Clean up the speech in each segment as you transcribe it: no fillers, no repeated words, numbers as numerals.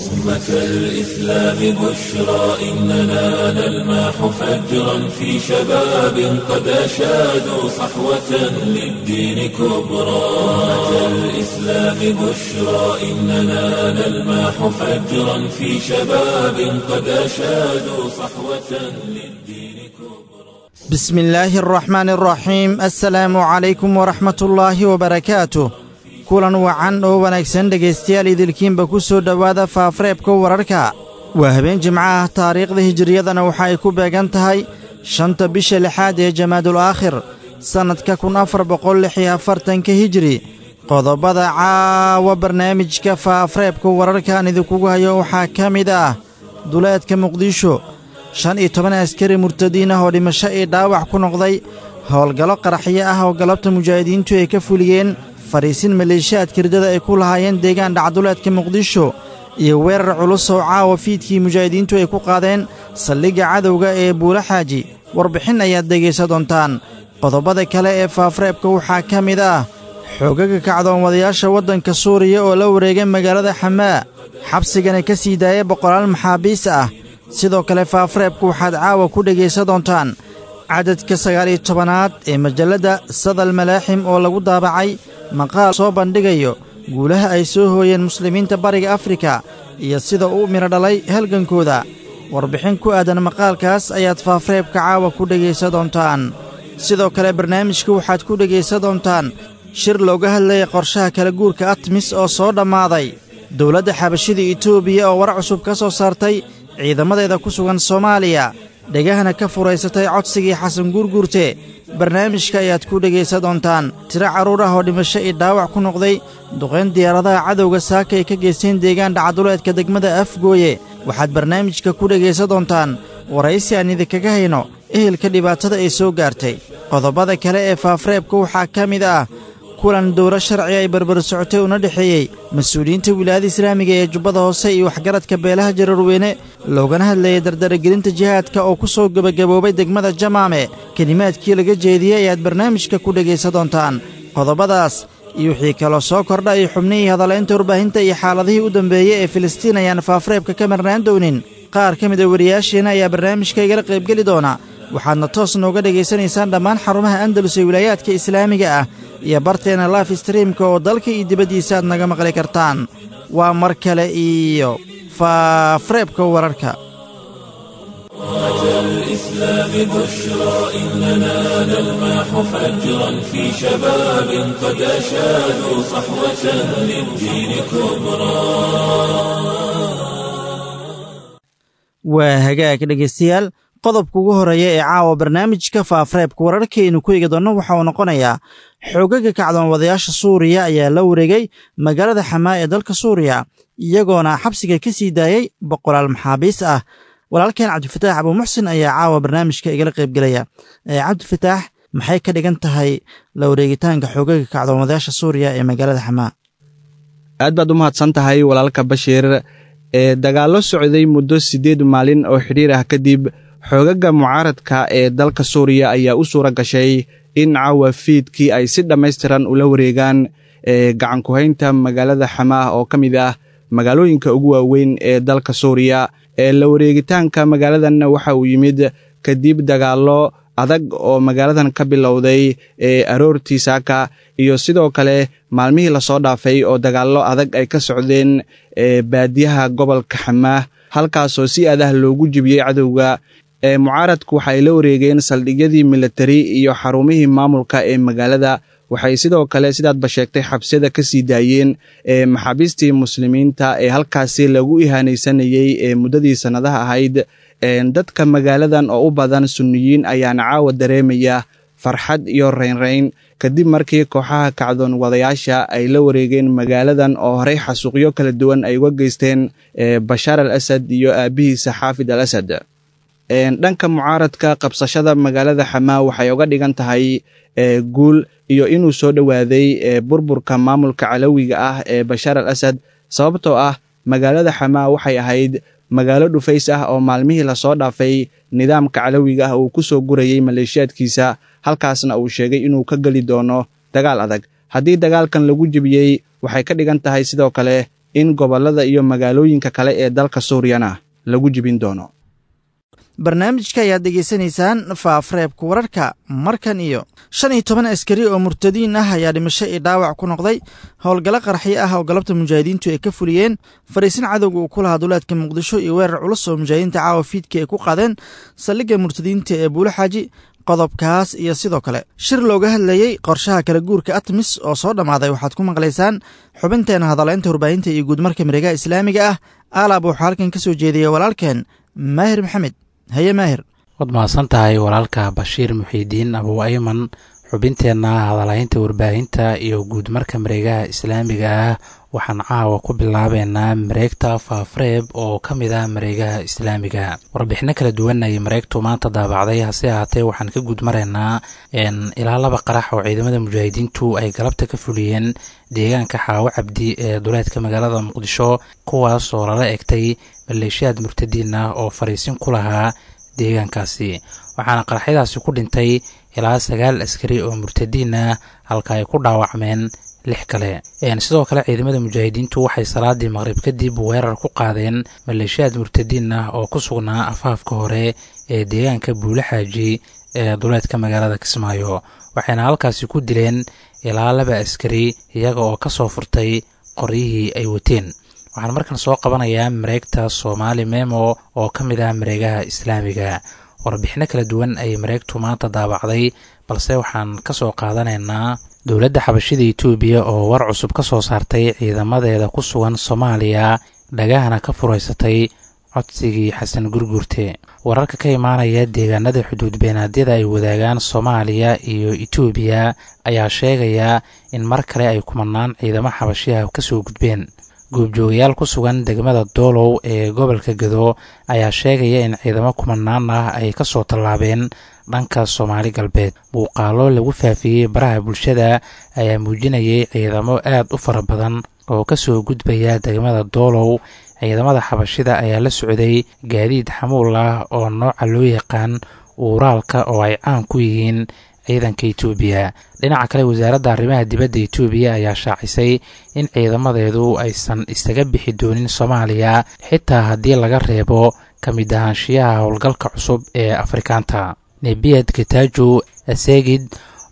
أمة الإسلام بشرى إننا نلمح فجرا في شباب قد أشادوا صحوة للدين كبرى. أمة الإسلام بشرى إننا نلمح فجرا في شباب قد أشادوا صحوة للدين كبرى. بسم الله الرحمن الرحيم. السلام عليكم ورحمة الله وبركاته. Kulan wacan oo wanaagsan dhegaystayaal, idilkiinba ku soo dhowaada faafareebka wararka. Waa habeen jimco ah, taariikhda hijiriyadana waxa ay ku beegan tahay 5-ta bisha 6aad ee Jamaadul Aakhir, sannadka 1446-ka hijiri. Qodobada caawa barnaamijka faafareebka wararka aan idinkugu hayo waxaa ka mid ah: duleedka Muqdisho, 15 askari murtadiin ah oo dhimasho iyo dhaawac ku noqday howlgallo qaraxyo ah oo galabta mujaahidiintu ay ka fuliyeen fariisin maleeshiyaadka riddada ay ku lahaayeen deegaan dhacduleedka Muqdisho, iyo weerar culus oo caawa fiidkii mujaahidiintu ay ku qaadeen saldhigga cadowga ee Buula Xaaji. Warbixin ayaad dhegaysa doontaan. Qodobada kale ee faafareebka waxaa ka mid ah: xoogaga kacdoon wadayaasha waddanka Suuriya oo la wareegay magaalada Xamaa, xabsigana ka sii daaya boqolaal maxaabiis ah. Sidoo kale faafareebka waxaad caawa ku dhegaysa doontaan cadadka 19aad ee majalladda Sadal Malaaxim oo lagu daabacay maqaal soo bandhigayo guulaha ay soo hooyeen muslimiinta Bariga Afrika iyo sida uu midho dhalay halgankooda. Warbixin ku aadan maqaalkaas ayaad faafareebka caawa ku dhegaysa doontaan. Sidoo kale barnaamijka waxaad ku dhegaysa doontaan shir looga hadlayay qorshaha kala guurka ATMIS oo soo dhammaaday, dowladda xabashida Itoobiya oo war cusub ka soo saartay ciidamadeeda ku sugan Soomaaliya, dhegahana ka furaysatay codsigii Xasan Guurguurte. Barnaamijka ayaad ku dhegaysa doontaan. Tiro carruur ah oo dhimasho iyo dhaawac ku noqday duqayn diyaaradaha cadowga saaka ay ka geysteen deegaan dhacduleedka degmada Afgooye. Waxaad barnaamijka ku dhegaysa doontaan waraysi aan idinkaga hayno ehelka dhibaatada ay soo gaartay. Qodobada kale ee faafareebka waxaa ka mid ah kulan dowro sharci ay barbar socotay una dhexeeyey mas-uuliyiinta wilaayada islaamiga ee Jubbada Hoose iyo waxgaradka beelaha Jararweyne, loogana hadlayay dardaragelinta jihaadka oo ku soo gebagaboobay degmada Jamaame. Kelimaadkii laga jeediyey ayaad barnaamijka ku dhegaysa doontaan. Qodobadaas iyo wixii kaloo soo kordha iyo xubnihii hadalaynta warbaahinta iyo xaaladihii u dambeeyey ee Filistiin ayaan faafareebka ka marnaan doonin. Qaar ka mid a wariyaasheena ayaa barnaamijka igala qaybgeli doona. Waxaadna toos nooga dhegaysanaysaan dhammaan xarumaha Andalus ee wilaayaadka islaamiga ah iyo barteena life streamka oo dalka iyo dibaddiisa aad naga maqli kartaan. Waa mar kale iyo faafareebka wararka. أمة الإسلام بشرى إننا نلمح فجرا في شباب قد أشادوا صحوة للدين كبرى. Waa hagaag dhegaystayaal, qodobka ugu horeeya ee caawa barnaamijka faafareebka wararkaaynu ku eegi doonno waxa uu noqonayaa: xoogaga kacdoon wadayaasha Suuriya ayaa la wareegay magaalada Xamaa ee dalka Suuriya, iyagoona xabsiga ka sii daayey boqolaal maxaabiis ah. Walaalkeen Cabdifataax Abuumuxsin ayaa caawa barnaamijka igala qaybgelaya. Cabdifataax, maxay ka dhigan tahay la wareegitaanka xoogaga kacdoon wadayaasha Suuriya ee magaalada Xamaa? Aad baad u mahadsan tahay walaalka Bashiir. Ee dagaallo socday muddo 8 maalin oo xidhiir ah kadib, xoogaga mucaaradka ee dalka Suuriya ayaa u suura gashay in caawa fiidkii ay si dhammaystiran ula wareegaan ee gacankuhaynta magaalada Xamaah oo ka mid ah magaalooyinka ugu waaweyn ee dalka Suuriya. Ee la wareegitaanka magaaladanna waxa uu yimid kadib dagaallo adag oo magaaladan ka bilowday ee aroortii saaka, iyo sidoo kale maalmihii lasoo dhaafay oo dagaallo adag ay ka socdeen ee baadiyaha gobolka Xamaah, halkaasoo si adah loogu jibiyey cadowga. Ee mucaaradku waxay la wareegeen saldhigyadii militari iyo xarumihii maamulka ee magaalada. Waxay sidoo kale, sidaadba sheegtay, xabsiyada ka sii daayeen ee maxaabiistii muslimiinta ee halkaasi lagu ihaanaysanayey ee muddadii sannadaha ahayd. Dadka magaaladan oo u badan sunniyiin ayaana caawa dareemaya farxad iyo raynrayn kadib markii kooxaha kacdoon wadayaasha ay la wareegeen magaaladan oo horey xasuuqyo kala duwan ay uga geysteen Bashaar al Asad iyo aabihiisa Xaafid al Asad. Dhanka mucaaradka, qabsashada magaalada Xamaa waxay uga dhigan tahay guul iyo inuu soo dhowaaday burburka maamulka calawiga ah ee Bashaar al Asad, sababtoo ah magaalada Xamaa waxay ahayd magaalo dhufays ah oo maalmihii lasoo dhaafay nidaamka calawiga ah uu ku soo gurayey maleeshiyaadkiisa, halkaasna uu sheegay inuu ka geli doono dagaal adag. Haddii dagaalkan lagu jebiyey, waxay ka dhigan tahay sidoo kale in gobollada iyo magaalooyinka kale ee dalka Suuriyana lagu jibin doono. Barnaamijka ayaad dhegaysanaysaan faafreebka wararka. Markan iyo 15 askari oo murtadiin ah ayaa dhimasho iyo dhaawac ku noqday howlgallo qarxyo ah oo galabta mujaahidiintu ay ka fuliyeen fariisin cadowga uu ku lahaa duleedka Muqdisho iyo weerar culus oo mujaahidiinta caawa fiidka ay ku qaadeen saldhigga murtadiinta ee Buulo Xaaji. Qodobkaas iyo sidoo kale shir looga hadlayey qorshaha kala guurka ATMIS oo soo dhammaaday waxaad ku maqlaysaan xubinteena hadaleynta warbaahinta iyo guudmarka mareegaha islaamiga ah. Alaab waxaa halkan ka soo jeediyey walaalkeen Maahir Maxamed. Haye Maahir. Waad mahadsan tahay walaalka Bashiir Muxiidiin Abu Ayman. Xubinteenna hadalhaynta warbaahinta iyo guudmarka mareegaha islaamiga ah waxaan caawa ku bilaabeynaa mareegta Faafreeb oo ka mid ah mareegaha islaamiga. Warbixino kala duwan ayay mareegtu maanta daabacday, hase ahaatee waxaan ka guudmaraynaa ilaa 2 qarax oo ciidamada mujaahidiintu ay galabta ka fuliyeen deegaanka Xaawo Cabdi ee duleedka magaalada Muqdisho, kuwaas oo lala egtay maleeshiyaad murtadiin ah oo fariisin ku lahaa deegaankaasi. Waxaana qaraxyadaasi ku dhintay ilaa 9 askari oo murtadiin ah, halka ay ku dhaawacmeen 6 kale. Sidoo kale ciidamada mujaahidiintu waxay salaadii maqrib kadib weerar ku qaadeen maleeshiyaad murtadiin ah oo ku sugnaa afaafka hore ee deegaanka Buule Xaaji ee duleedka magaalada Kismaayo, waxayna halkaasi ku dileen ilaa 2 askari iyaga oo kasoo furtay qoryihii ay wateen. Waxaan markan soo qabanayaa mareegta Soomaali Memo oo ka mid ah mareegaha islaamiga. Warbixino kala duwan ayay mareegtu maanta daabacday, balse waxaan ka soo qaadanaynaa dowladda xabashida Itoobiya oo war cusub ka soo saartay ciidamadeeda ku sugan Soomaaliya, dhagahana ka furaysatay codsigii Xasan Gurgurte. Wararka ka imaanaya deegaanada xuduud beenaadyada ay wadaagaan Soomaaliya iyo Itoobiya ayaa sheegaya in mar kale ay kumanaan ciidamo xabashiyaha kasoo gudbeen. Goobjoogayaal ku sugan degmada Doolow ee gobolka Gado ayaa sheegaya in ciidamo kumanaan ah ay kasoo tallaabeen dhanka Soomaali Galbeed. Muuqaalo lagu faafiyey baraha bulshada ayaa muujinayay ciidamo aad u fara badan oo kasoo gudbaya degmada Doolow. Ciidamada xabashida ayaa la socday gaadiid xamuul ah oo nooca loo yaqaan uuraalka oo ay caan ku yihiin ciidanka Itoobiya. Dhinaca kale, wasaaradda arrimaha dibadda Itoobiya ayaa shaacisay in ciidamadeedu aysan isaga bixi doonin Soomaaliya xitaa haddii laga reebo ka mid ahaanshiyaha howlgalka cusub ee Afrikaanta. Nebiyad Getajo Asegid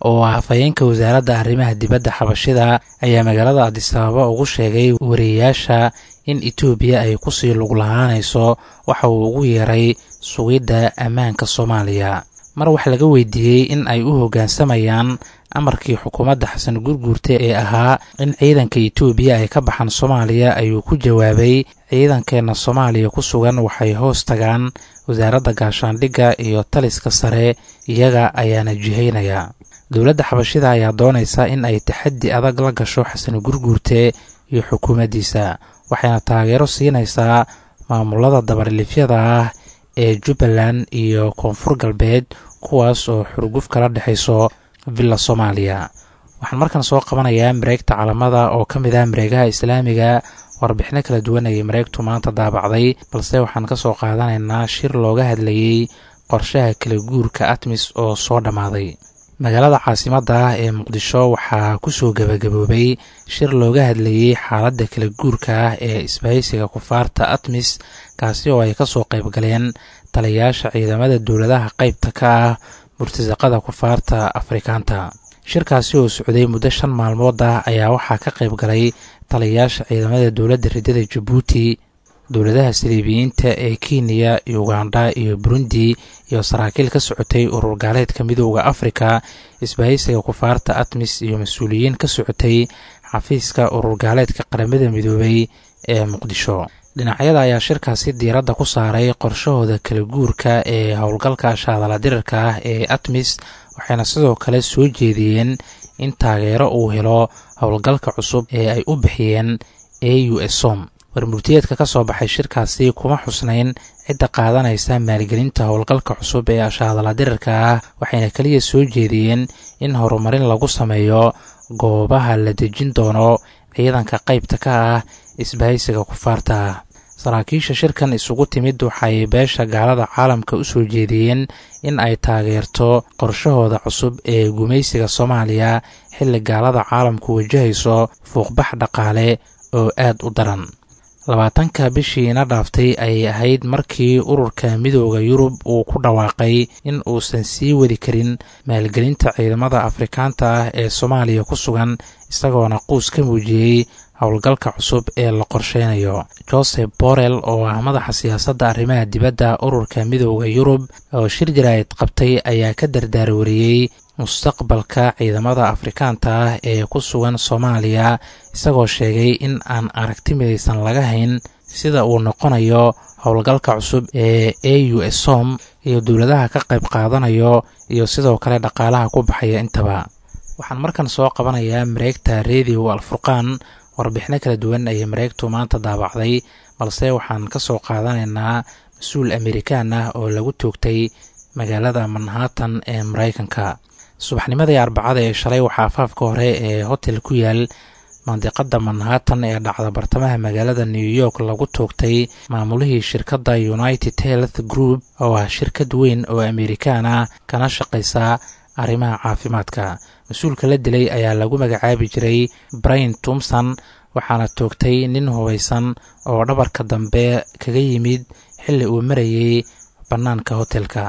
oo ah afhayeenka wasaaradda arrimaha dibadda xabashida ayaa magaalada Adisababa ugu sheegay wariyeyaasha in Itoobiya ay kusii lug lahaanayso waxa uu ugu yeeray sugidda ammaanka Soomaaliya. Mar wax laga weydiiyey in ay u hoggaansamayaan amarkii xukuumadda Xasan Gurguurte ee ahaa in ciidanka Itoobiya ay ka baxaan Soomaaliya, ayuu ku jawaabay: ciidankeenna Soomaaliya ku sugan waxay hoos tagaan wasaaradda gaashaandhigga iyo taliska sare, iyaga ayaana jihaynaya. Dowladda xabashida ayaa doonaysa in ay taxaddi adag la gasho Xasan Gurguurte iyo xukuumaddiisa, waxayna taageero siinaysaa maamulada dabarlifyada ah ee Jubbaland iyo Koonfur Galbeed, kuwaas oo xurguf kala dhexayso Villa Soomaaliya. Waxaan markan soo qabanayaa mareegta Calamada oo ka mid ah mareegaha islaamiga. Warbixino kala duwan ayay mareegtu maanta daabacday, balse waxaan ka soo qaadanaynaa shir looga hadlayey qorshaha kala guurka ATMIS oo soo dhammaaday. Magaalada caasimadda ah ee Muqdisho waxaa kusoo gabagaboobay shir looga hadlayey xaaladda kala guurka ah ee isbahaysiga kufaarta ATMIS, kaasi oo ay kasoo qayb galeen taliyayaasha ciidamada dowladaha qaybta ka ah murtasaqada kufaarta Afrikaanta. Shirkaasi oo socday muddo 5 maalmood ah ayaa waxaa ka qayb galay taliyayaasha ciidamada dowladda ridada Jabuuti, dowladaha saliibiyiinta ee Kenya, Uganda iyo Burundi, iyo saraakiil ka socotay urur gaaleedka Midooda Afrika, isbahaysiga kufaarta ATMIS iyo mas-uuliyiin ka socotay xafiiska urur gaaleedka Qaramada Midoobay ee Muqdisho. Dhinacyada ayaa shirkaasi diiradda ku saaray qorshahooda kala guurka ee howlgalka shaadala dirirka ah ee ATMIS, waxayna sidoo kale soo jeediyeen in taageero uu helo howlgalka cusub ee ay u bixiyeen AUSOM. Warmurtiyeedka ka soo baxay shirkaasi kuma xusnayn cidda qaadanaysa maalgelinta howlgalka cusub ee ashaadala dirirka ah, waxayna keliya soo jeediyeen in horumarin lagu sameeyo goobaha la dejin doono ciidanka qaybta ka ah isbahaysiga kufaarta ah. Saraakiisha shirkan isugu timid waxay beesha gaalada caalamka u soo jeediyeen in ay taageerto qorshahooda cusub ee gumaysiga Soomaaliya, xilli gaalada caalamku wajahayso fuuqbax dhaqaale oo aad u daran. 20-ka bishiina dhaaftay ayay ahayd markii ururka Midooda Yurub uu ku dhawaaqay in uusan sii wadi karin maalgelinta ciidamada Afrikaanta ah ee Soomaaliya ku sugan, isagoona quus ka muujiyey howlgalka cusub ee la qorsheynayo. Joseph Borrell oo ah madaxa siyaasadda arrimaha dibadda ururka Midooda Yurub oo shir jaraa'id qabtay ayaa ka dardaarwariyey mustaqbalka ciidamada Afrikaanta ah ee ku sugan Soomaaliya, isagoo sheegay in aan aragti midaysan laga hayn sida uu noqonayo howlgalka cusub ee AUSOM iyo dowladaha ka qayb qaadanayo iyo sidoo kale dhaqaalaha ku baxaya intaba. Waxaan markan soo qabanayaa mareegta Radio Alfurqaan. Warbixino kala duwan ayay mareegtu maanta daabacday, balse waxaan ka soo qaadanaynaa mas-uul Amerikaan ah oo lagu toogtay magaalada Manhattan ee Maraykanka. Subaxnimadii Arbacada ee shalay waxaa afaafka hore ee hotel ku yaal mandiqada Manhattan ee dhacda bartamaha magaalada New York lagu toogtay maamulihii shirkadda United Health Group oo ah shirkad weyn oo Amerikaan ah kana shaqaysa arrimaha caafimaadka. Mas-uulka la dilay ayaa lagu magacaabi jiray Brian Thomson, waxaana toogtay nin hubaysan oo dhabarka dambe kaga yimid xilli uu marayay bannaanka hotelka.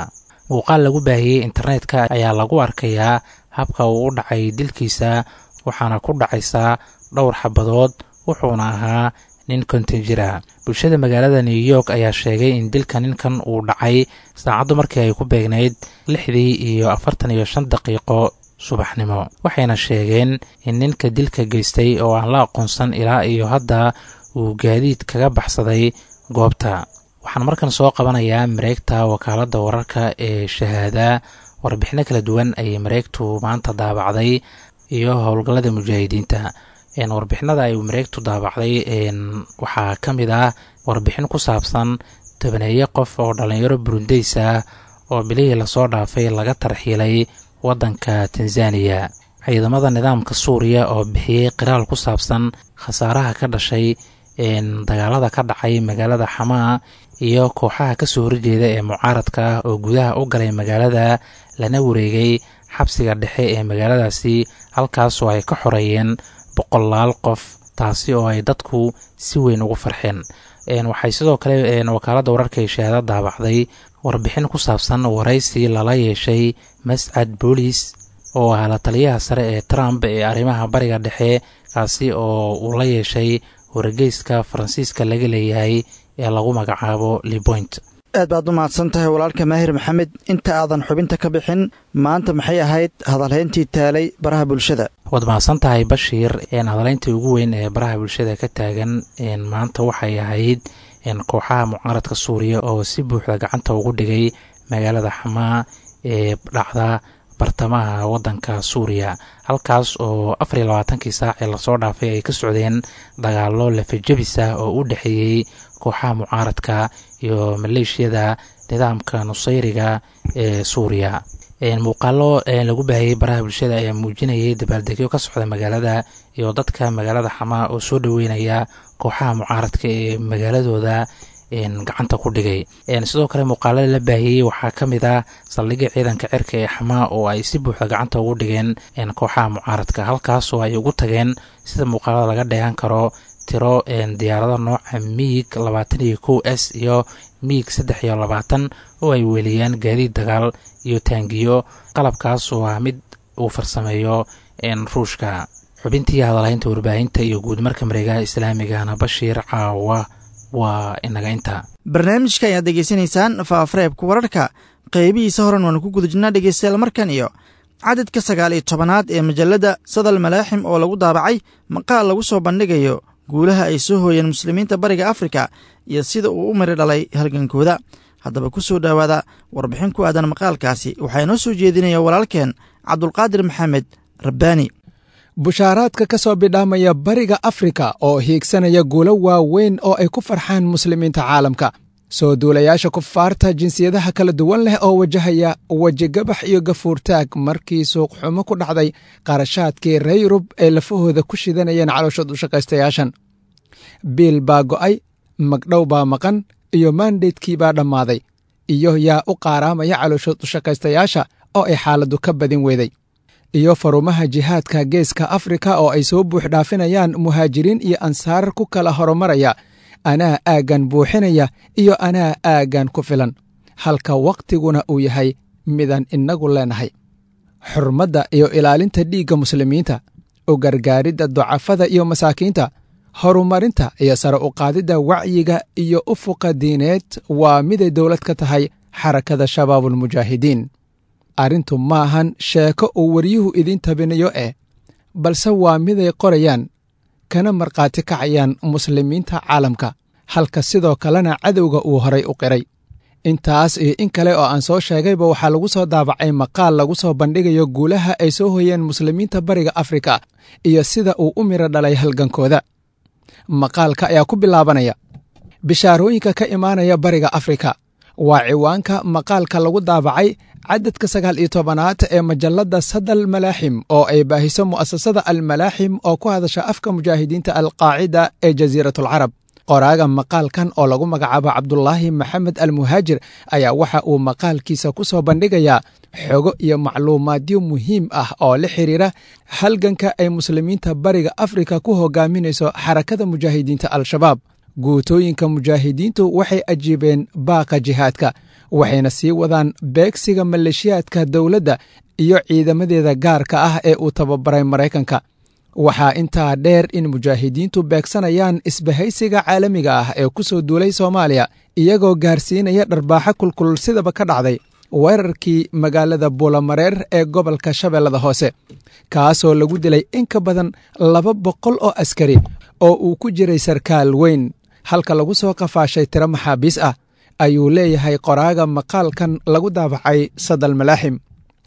Muuqaal lagu baahiyey internetka ayaa lagu arkayaa habka uu u dhacay dilkiisa, waxaana ku dhacaysaa dhowr xabadood, wuxuuna ahaa nin 50 jir ah. Bulshada magaalada New York ayaa sheegay in dilka ninkan uu dhacay saacaddu markii ay ku beegnayd 6:45 subaxnimo, waxayna sheegeen in ninka dilka geystay oo aan la aqoonsan ilaa iyo hadda uu gaadiid kaga baxsaday goobta. Waxaan markan soo qabanayaa mareegta wakaaladda wararka ee Shahaada. Warbixino kala duwan ayay mareegtu maanta daabacday iyo howlgallada mujaahidiinta. Warbixinada ay mareegtu daabacday waxaa ka mid ah warbixin ku saabsan tobaneeye qof oo dhallinyaro Burundeys ah oo bilihii lasoo dhaafay laga tarxiilay waddanka Tanzaniya, ciidamada nidaamka Suuriya oo bixiyey qiraal ku saabsan khasaaraha ka dhashay dagaalada ka dhacay magaalada Xamaa, iyo kooxaha kasoo horjeeda ee mucaaradka ah oo gudaha u galay magaalada lana wareegay xabsiga dhexe ee magaaladaasi, halkaasoo ay ka xoreeyeen boqolaal qof, taasi oo ay dadku si weyn ugu farxeen. Waxay sidoo kale wakaaladda wararka ee Shahaada daabacday warbixin ku saabsan waraysi lala yeeshay Mascad Boolis oo ah la taliyaha sare ee Trump ee arrimaha Bariga Dhexe, kaasi oo uu la yeeshay wargeyska Faransiiska laga leeyahay ee lagu magacaabo Lipoint. Aad baad u mahadsan tahay walaalka Maahir Maxamed. Inta aadan xubinta ka bixin, maanta maxay ahayd hadalhayntii taalay baraha bulshada? Waad mahadsan tahay, Bashiir. Hadalhayntii ugu weyn ee baraha bulshada ka taagan maanta waxay ahayd kooxaha mucaaradka Suuriya oo si buuxda gacanta ugu dhigay magaalada Xamaa ee dhacda bartamaha waddanka Suuriya, halkaas oo 24-kii saac ee lasoo dhaafay ay ka socdeen dagaallo lafajabis ah oo u dhexeeyey kooxaha mucaaradka iyo maleeshiyada nidaamka Nusayriga ee Suuriya. Muuqaalo lagu baahiyey baraha bulshada ayaa muujinayay dabaaldegyo ka socda magaalada iyo dadka magaalada Xamaa oo soo dhoweynaya kooxaha mucaaradka ee magaaladooda gacanta ku dhigay. Sidoo kale muuqaalada la baahiyey waxaa ka mid ah saldhigga ciidanka cirka ee Xamaa oo ay si buuxda gacanta ugu dhigeen kooxaha mucaaradka, halkaas oo ay ugu tageen, sida muuqaalada laga dheehan karo, tiro diyaarado nooca MiG 21 S iyo MiG 23 oo ay weeliyaan gaadiid dagaal iyo taangiyo, qalabkaas oo ah mid uu farsameeyo Ruushka. Xubintii hadalhaynta warbaahinta iyo guud marka mareegaha islaamigana, Bashiir, caawa waa inaga inta. Barnaamijka ayaad degeysanaysaan faafareebka wararka, qeybihiisa horan waanu ku guda jirnaa dhegeystayaal. Markan iyo cadadka 19aad ee majalladda Sadal Malaaxim oo lagu daabacay maqaal lagu soo bandhigayo guulaha ay soo hooyeen muslimiinta Bariga Afrika iyo sida uu u miri dhalay halgankooda. Haddaba ku soo dhowaada warbixin ku aadan maqaalkaasi, waxaa inoo soo jeedinaya walaalkeen Cabdulqaadir Maxamed Rabbaani. Bushaaraadka ka soo bidhaamaya Bariga Afrika oo hiigsanaya guulo waaweyn oo ay ku farxaan muslimiinta caalamka, soo duulayaasha kufaarta jinsiyadaha kala duwan leh oo wajahaya wejigabax iyo gafuurtaag markii suuqxumo ku dhacday qarashaadkii reer Yurub ay lafahooda ku shidanayeen calooshood u shaqaystayaashan. Biil baa go'ay, magdhow baa maqan iyo maandeydkii baa dhammaaday, iyo yaa u qaaraamaya calooshood u shaqaystayaasha oo ay xaaladdu ka badin weyday. Iyo farumaha jihaadka Geeska Afrika oo ay soo buux dhaafinayaan muhaajiriin iyo ansaar ku kala horumaraya anaa aaggan buuxinaya iyo anaa aaggan ku filan, halka wakhtiguna uu yahay midaan innagu leenahay. Xurmadda iyo ilaalinta dhiigga muslimiinta, u gargaaridda ducafada iyo masaakiinta, horumarinta iyo sare u qaadidda wacyiga iyo ufuqa diineed waa miday dowlad ka tahay Xarakada Shabaabulmujaahidiin. Arrintu maahan sheeko uu waryuhu idiin tabinayo balse waa miday qorayaan kana markhaati kacayaan muslimiinta caalamka, halka sidoo kalena cadowga uu horay u qiray. Intaas iyo in kale oo aan soo sheegayba waxaa lagu soo daabacay maqaal lagu soo bandhigayo guulaha ay soo hoyeen muslimiinta Bariga Afrika iyo sida uu u miro dhalay halgankooda. Maqaalka ayaa ku bilaabanaya bishaarooyinka ka imaanaya Bariga Afrika. Waa ciwaanka maqaalka lagu daabacay cadadka 19aad ee majalladda Sadal Malaaxim oo ay baahiso mu'asasada Almalaaxim oo ku hadasha afka mujaahidiinta Alqaacida ee Jasiiratulcarab. Qoraaga maqaalkan oo lagu magacaabo Cabdulaahi Maxamed Almuhaajir ayaa waxa uu maqaalkiisa ku soo bandhigayaa xogo iyo macluumaadyo muhiim ah oo la xiriira halganka ay muslimiinta Bariga Afrika ku hogaaminayso Xarakada Mujaahidiinta Al-Shabaab. Guutooyinka mujaahidiintu waxay ajiibeen baaqa jihaadka, waxayna sii wadaan beegsiga maleeshiyaadka dowladda iyo ciidamadeeda gaarka ah ee uu tababaray Maraykanka. Waxaa intaa dheer in mujaahidiintu beegsanayaan isbahaysiga caalamiga ah ee ku soo duulay Soomaaliya, iyagoo gaarsiinaya dharbaaxo kulkulul sidaba ka dhacday weerarkii magaalada Buulamareer ee gobolka Shabeellada Hoose, kaasoo lagu dilay in ka badan 200 oo askari oo uu ku jiray sarkaal weyn, halka lagu soo qafaashay tiro maxaabiis ah, ayuu leeyahay qoraaga maqaalkan lagu daabacay Sadal Malaaxim.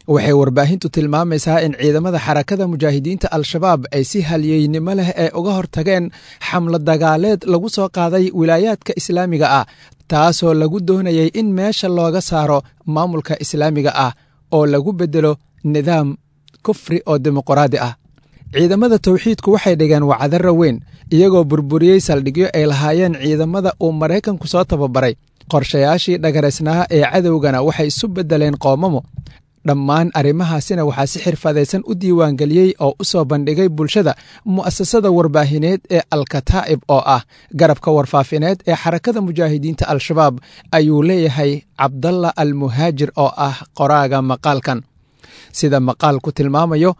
Waxay warbaahintu tilmaamaysaa in ciidamada Xarakada Mujaahidiinta Al-Shabaab ay si halyeynimo leh ee uga hortageen xamlo dagaaleed lagu soo qaaday wilaayaadka islaamiga ah, taasoo lagu doonayay in meesha looga saaro maamulka islaamiga ah oo lagu beddelo nidaam kufri oo dimuqraadi ah. Ciidamada tawxiidku waxay dhigeen wacdarro weyn, iyagoo burburiyey saldhigyo ay lahaayeen ciidamada uu Maraykanku soo tababaray. Qorshayaashii dhagaraysnaa ee cadowgana waxay isu beddeleen qoomamo. Dhammaan arrimahaasina waxaa si xirfadaysan u diiwaangeliyey oo u soo bandhigay bulshada mu'asasada warbaahineed ee Alkataa'ib oo ah garabka warfaafineed ee Xarakada Mujaahidiinta Al-Shabaab, ayuu leeyahay Cabdalla Almuhaajir oo ah qoraaga maqaalkan. Sida maqaalku tilmaamayo,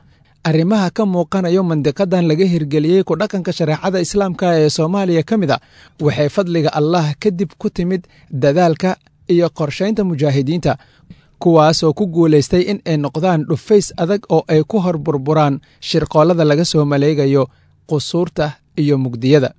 arrimaha ka muuqanayo mandiqadan laga hirgeliyey ku dhaqanka shareecada islaamka ee Soomaaliya ka mid a waxay fadliga Allah kadib ku timid dadaalka iyo qorshaynta mujaahidiinta, kuwaasoo ku guulaystay in ay noqdaan dhufays adag oo ay ku hor burburaan shirqoollada laga soo maleegayo qusuurta iyo mugdiyada.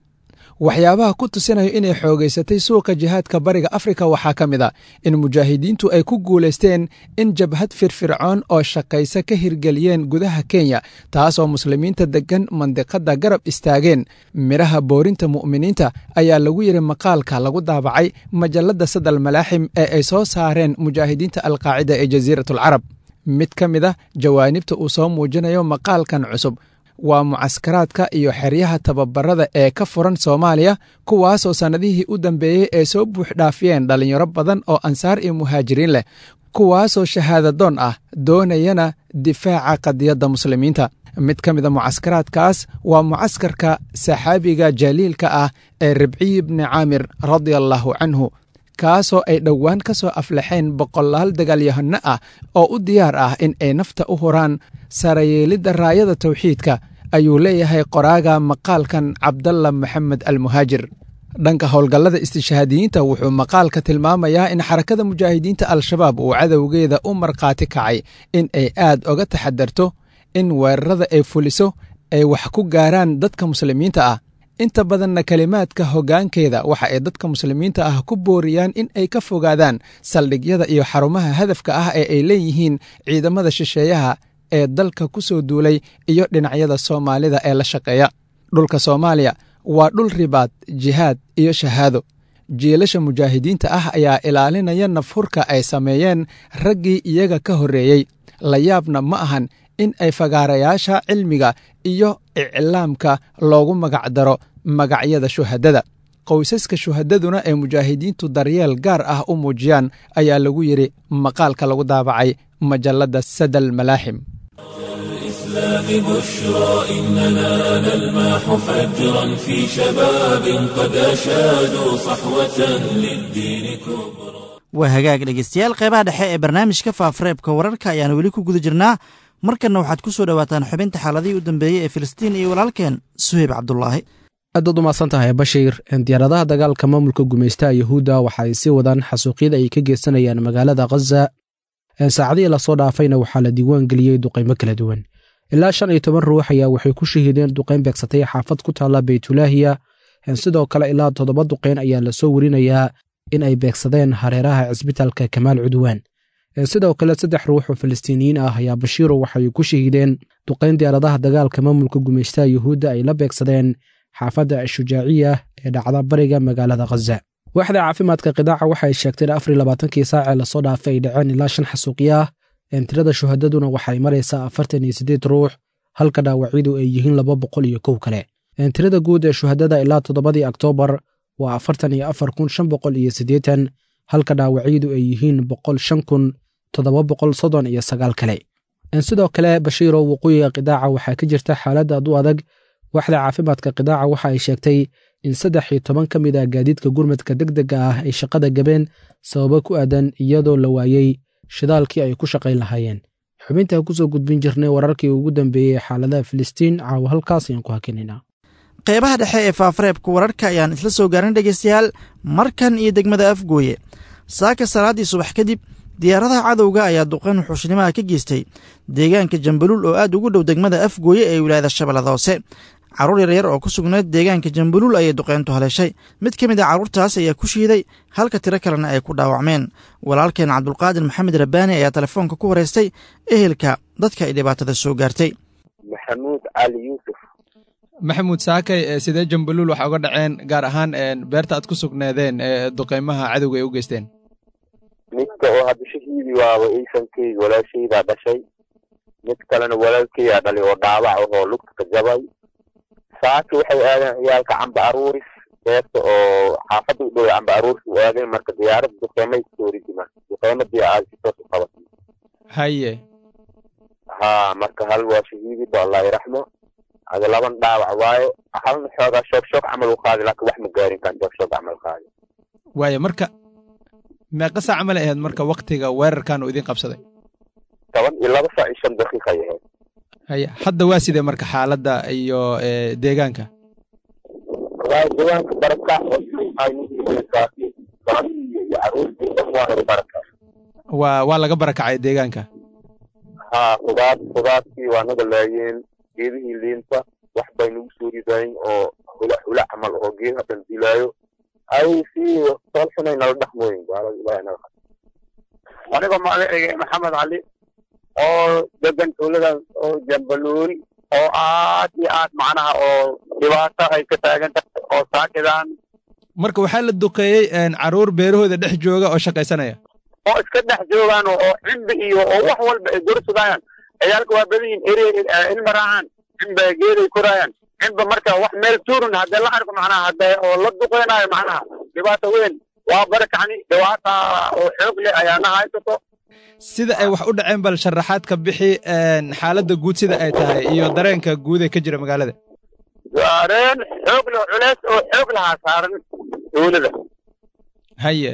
Waxyaabaha ku tusinayo inay xoogaysatay suuqa jihaadka Bariga Afrika waxaa ka mid a in mujaahidiintu ay ku guulaysteen in jabhad firfircoon oo shaqaysa ka hirgeliyeen gudaha Kenya, taasoo muslimiinta deggan mandiqadda garab istaageen midhaha boorinta mu'miniinta, ayaa lagu yidhi maqaalka lagu daabacay majalladda Sadal Malaaxim ee ay soo saareen mujaahidiinta Alqaacida ee Jasiiratulcarab. Mid ka mid a jawaanibta uu soo muujinayo maqaalkan cusub waa mucaskaraadka iyo xeryaha tababarada ee ka furan Soomaaliya, kuwaasoo sannadihii u dambeeyey ay soo buuxdhaafiyeen dhallinyaro badan oo ansaar iyo muhaajiriin leh, kuwaasoo shahaadadoon ah doonayana difaaca qadiyadda muslimiinta. Mid ka mida mucaskaraadkaas waa mucaskarka saxaabiga jaliilka ah ee Ribciy bni Caamir radia allaahu canhu, kaasoo ay dhowaan ka soo aflaxeen boqolaal dagaalyahano ah oo u diyaar ah in ay nafta u huraan sarayeelidda raayada tawxiidka, ayuu leeyahay qoraaga maqaalkan Cabdalla Maxamed Almuhaajir. Dhanka howlgallada istishhaadiyiinta, wuxuu maqaalka tilmaamayaa in Xarakada Mujaahidiinta Al-Shabaab uu cadowgeeda u markhaati kacay in ay aad oga taxadarto in weerarada ay fuliso ay wax ku gaaraan dadka muslimiinta ah. Inta badanna kelimaadka hoggaankeeda waxa ay dadka muslimiinta ah ku booriyaan in ay ka fogaadaan saldhigyada iyo xarumaha hadafka ah ee ay leeyihiin ciidamada shisheeyaha ee dalka ku soo duulay iyo dhinacyada Soomaalida ee la shaqeeya. Dhulka Soomaaliya waa dhul ribaad, jihaad iyo shahaado. Jiilasha mujaahidiinta ah ayaa ilaalinaya nafhurka ay sameeyeen raggii iyaga ka horreeyey. La yaabna ma ahan in ay fagaarayaasha cilmiga iyo iclaamka loogu magacdaro magacyada shuhadada, qoysaska shuhadaduna ay mujaahidiintu daryeel gaar ah u muujiyaan, ayaa lagu yidhi maqaalka lagu daabacay majalladda Sadal Malaaxim. الإسلام بشرى إننا نلمح فجرا في شباب قد أشادوا صحوة للدين كبرى. Waa hagaag dhegeystayaal, qeybaha dhexe ee barnaamijka faafareebka wararka ayaan weli ku guda jirnaa. Markanna waxaad ku soo dhowaataan xubinta xaaladihii u dambeeyey ee Filistiin iyo walaalkeen Suheyb Cabdulaahi. Aad baad u mahadsan tahay, Bashiir. Diyaaradaha dagaalka maamulka gumaystaha Yahuudda waxa ay sii wadaan xasuuqyada ay ka geysanayaan magaalada Khaza. Saacadihii lasoo dhaafayna waxaa la diiwaan geliyey duqaymo kala duwan. Ilaa 15 ruux ayaa waxay ku shahiideen duqayn beegsatay xaafad ku taalla Beytulaahiya. Sidoo kale ilaa 7 duqayn ayaa lasoo werinayaa in ay beegsadeen hareeraha cisbitaalka Kamaal Cudwaan. Sidoo kale 3 ruux oo Falastiiniyiin ah ayaa, Bashiiro, waxay ku shahiideen duqayn diyaaradaha dagaalka maamulka gumaystaha Yuhuudda ay la beegsadeen xaafadda Ashujaaciya ee dhacda bariga magaalada Khaza. Waaxda caafimaadka qidaaca waxay sheegtay in 24-kii saacee lasoo dhaafay ay dhaceen ilaa 5 xasuuqyo ah. Tirada shuhadaduna waxay maraysaa 48 ruux, halka dhaawacyadu ay yihiin 201 kale. Tirada guud ee shuhadada ilaa 7-dii Oktoobar waa 44,580, halka dhaawacyadu ay yihiin 105,739 kale. Sidoo kale, Bashiiro, waqooyiga qidaaca waxaa ka jirta xaalad aad u adag. Waaxda caafimaadka qidaaca waxa ay sheegtay in 13 ka mid ah gaadiidka gurmadka deg dega ah ay shaqada gabeen sababo ku aadan iyadoo la waayey shidaalkii ay ku shaqayn lahaayeen. Xubinta kusoo gudbin jirnay wararkii ugu dambeeyey xaaladaha Filistiin caawa halkaas ayaan ku hakinaynaa. Qeybaha dhexe ee faafareebka wararka ayaan isla soo gaarin, dhegeystayaal. Markan iyo degmada Afgooye. Saaka salaaddii subax kadib, diyaaradaha cadowga ayaa duqeyn wuxuushnimaha ka geystay deegaanka Jambaluul oo aad ugu dhow degmada Afgooye ee wilaayada Shabeellada Hoose. Carruur yaryar oo ku sugnayd deegaanka Jambaluul ayay duqeyntu haleeshay. Mid ka mid a carruurtaas ayaa ku shiiday, halka tiro kalena ay ku dhaawacmeen. Walaalkeen Cabdulqaadir Maxamed Rabbaani ayaa telefoonka ku wareystay ehelka dadka ay dhibaatada soo gaartay. Maxamuud Cali Yuusuf. Maxamuud, saakay sidee Jambaluul waxa uga dhaceen, gaar ahaan beerta aad ku sugneedeen ee duqeymaha cadowga ay u geysteen? Midka oo hadda shahiidi waaba iisankeyga, walaashaydaa dhashay. Mid kalena walaalkeygaa dhalay oo dhaawac ahoo lugta ka jabay. Saaki waxay aadeen ciyaalka camba aruuris, beerta oo xaafadda u dhow camba aruuris u aadeen. Marka diyaaradda duqeymay kusoo ridi, marka duqeyma diyaarad si toos u qabatay. Haye. Haa, marka hal waa shahiidi ba, Allah iraxmo. Ada laban dhaawac waaye, halna xoogaa shoog shoog camal u qaadi, laakiin wax ma gaarin kan shoog shoog camal qaadi. Waaye, marka meeqa saac camal ay ahayd marka waktiga weerarkan uu idin qabsaday? 12 saac iyo 5 daqiiqa ay ahayd. Haye, hadda waa sidee marka xaaladda iyo deegaanka? Wallaahi deegaanka barakac iyo caruurtii dhan waa barakac. Waa laga barakacay deegaanka? Haa, khudaartii waa naga laayeen, geedihii liinta wax bay nagu soo ridayn oo hula hula camal oo geedaha dhan dilaayo, ay si tool xunay nala dhaqmooyin gaalada. Ilaahay naga. Anigoo magacayga Maxamed Cali oo degan tuuladan oo Jambaluul oo aad iyo aad macnaha oo dhibaato ay ka taagan tahay oo saakidan. Marka waxaa la duqeeyey caruur beerahooda dhex jooga oo shaqaysanaya? Oo iska dhex joogaan oo cimbi iyo oo wax walba ay gursudayaan. Ciyaalka waa badan yihin, ere ilma raacaan, cimba geeday koraayaan, cimba. Marka wax meel tuurun haddee la arko macnaha haddee oo la duqeynayo, macnaha dhibaato weyn waa barakacni, dhibaata oo xoog leh ayaa na haysato. Sida ay wax u dhaceen bal sharaxaad ka bixi, xaaladda guud sida ay tahay iyo dareenka guud ee ka jira magaalada. Dareen xoog leh, culeys oo xoog lahaa saaran tuulada. Haye.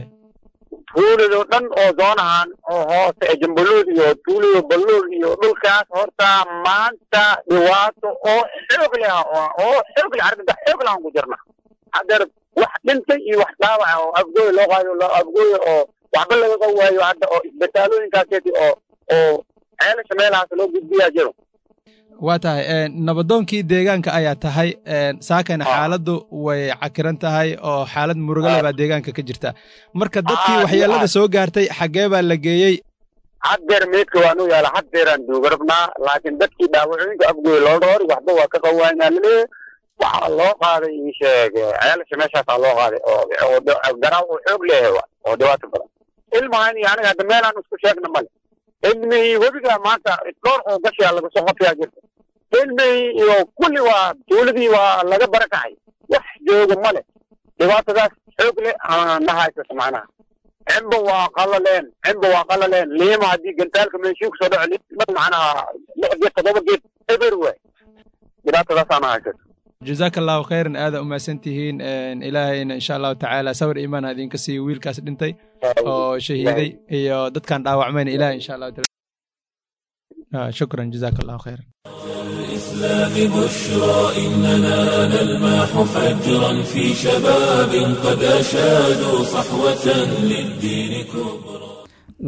Tuulado dhan oo zoonahan oo hoose ee Jambaluul iyo tuulada Baluul iyo dhulkaas horta maanta dhibaato oo xoog leh oo xoog leh, arrinta xoog leh aan ku jirna haddeer. Wax dhintay iyo wax dhaawaca oo Afgooy loo qaado, Afgooy oo waxba lagaga waayo hadda, oo isbitaalooyinkaaseti oo Ceelasha meelahaas loo gudbiyaa jiro. Waa tahay, nabadoonkii deegaanka ayaa tahay. Saakana xaaladdu way cakiran tahay oo xaalad murugale baa deegaanka ka jirta. Marka dadkii waxyeelada soo gaartay xaggee baa la geeyey? Haddeer meydka waa nuu yaala, haddeeraan duuga rabnaa, laakiin dadkii dhaawacooyinka Afgooy loo dhoori waxba waa ka qawaanaa laleeyahay. Waxaa loo qaaday, ii sheeg, Ceelasha meeshaasaa loo qaaday oo garaaw oo xoog leeyahay oo dhibaato badan. Ilmahan iyo aniga hadda meelaan isku sheegna male. Ilmihii webiga maanta dhowr oo gashiyaa laga soo qabtayaa jirta. Ilmihii iyo kulli waa tuuladii waa laga barakacay, wax jooga male. Dhibaatadaas xoog leh na haysato macnaha. Cimba waa qalaleen, cimba waa qalaleen. Liima haddii gantaalka meeshii kusoo dhaco, liima macnaha lix geed, toddoba geed Eber waay, dhibaatadaasaana haysato. Jazaaka Allahu khayran, aada umahadsan tihiin. Ilaahayna insha Allahu tacaala sawir iimaan idinka siiyo wiilkaas dhintay oo shahiiday iyo dadkan dhaawacmayna Ilahay insha Allahu taala. Shukran, jazaaka Allahu khayran. الإسلام بشرى إننا نلمح فجرا في شباب قد أشادوا صحوة للدين كبرى.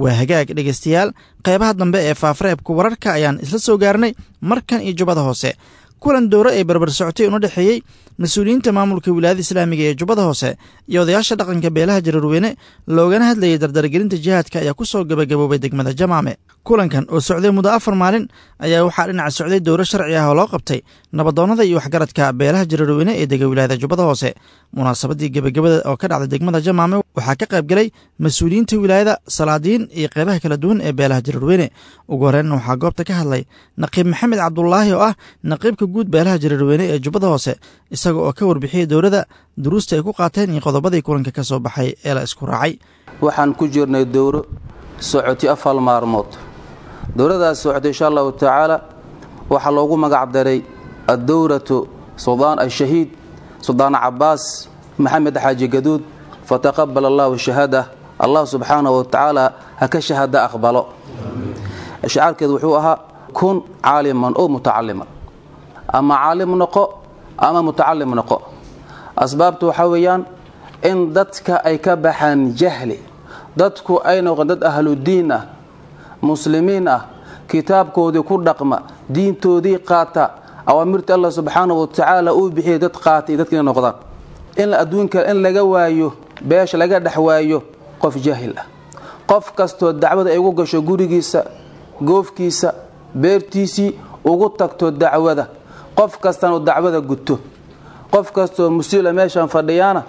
Waa hagaag dhegaystayaal, qeybaha dambe ee faafareebka wararka ayaan isla soo gaarnay. Markan iyo Jubbada Hoose, kulan dowro ee barbar socotay una dhexeeyey mas-uuliyiinta maamulka wilaayada islaamiga ee Jubbada Hoose iyo odayaasha dhaqanka beelaha Jareerweyne, loogana hadlayay dardargelinta jihaadka, ayaa ku soo gabagaboobay degmada Jamaame. Kulankan oo socday muddo 4 maalin ayaa waxaa dhinaca socday dowro sharci ah oo loo qabtay nabadoonnada iyo waxgaradka beelaha Jareerweyne ee dega wilaayada Jubbada Hoose. Munaasabadii gebagabada oo ka dhacday degmada Jamaame waxaa ka qayb galay mas-uuliyiinta wilaayada, salaadiin iyo qeybaha kala duwan ee beelaha Jareerweyne. Ugu horreyn waxaa goobta ka hadlay Naqiib Maxamed Cabdulaahi oo ah naqiibka guud beelaha Jareerweyne ee Jubbada Hoose, isaga oo ka warbixiyey dowladda duruusta ay ku qaateen iyo qodobadii kulanka ka soo baxay ee la isku raacay. Waxaan ku jirnay dowro socotay 4 maalmood. Dowladaas socotay insha Allahu tacaala waxaa loogu magac daray addowratu Suldaan Ashahiid Suldaan Cabaas Maxamed Xaaji Gaduud, fataqabal Allahu shahaada, Allah subxaanahu wa tacaala ha ka shahaada aqbalo. Shicaarkeedu wuxuu ahaa kun caaliman oo mutacaliman, ama caalim noqo ama mutacalim noqo. Asbaabtu waxaa weeyaan in dadka ay ka baxaan jahli, dadku ay noqon dad ahludiin ah, muslimiin ah, kitaabkoodii ku dhaqma, diintoodii qaata, awaamirta Allah subxaanahu wa tacaala uu bixiyay dad qaatay dadka inay noqdaan. In adduunka in laga waayo, beesha laga dhex waayo qof jaahil ah. Qof kastoo dacwada ay ugu gasho gurigiisa, goofkiisa, beertiisii ugu tagto dacwada, qof kastana uu dacwada guto. Qof kastoo musiila meeshan fadhiyaana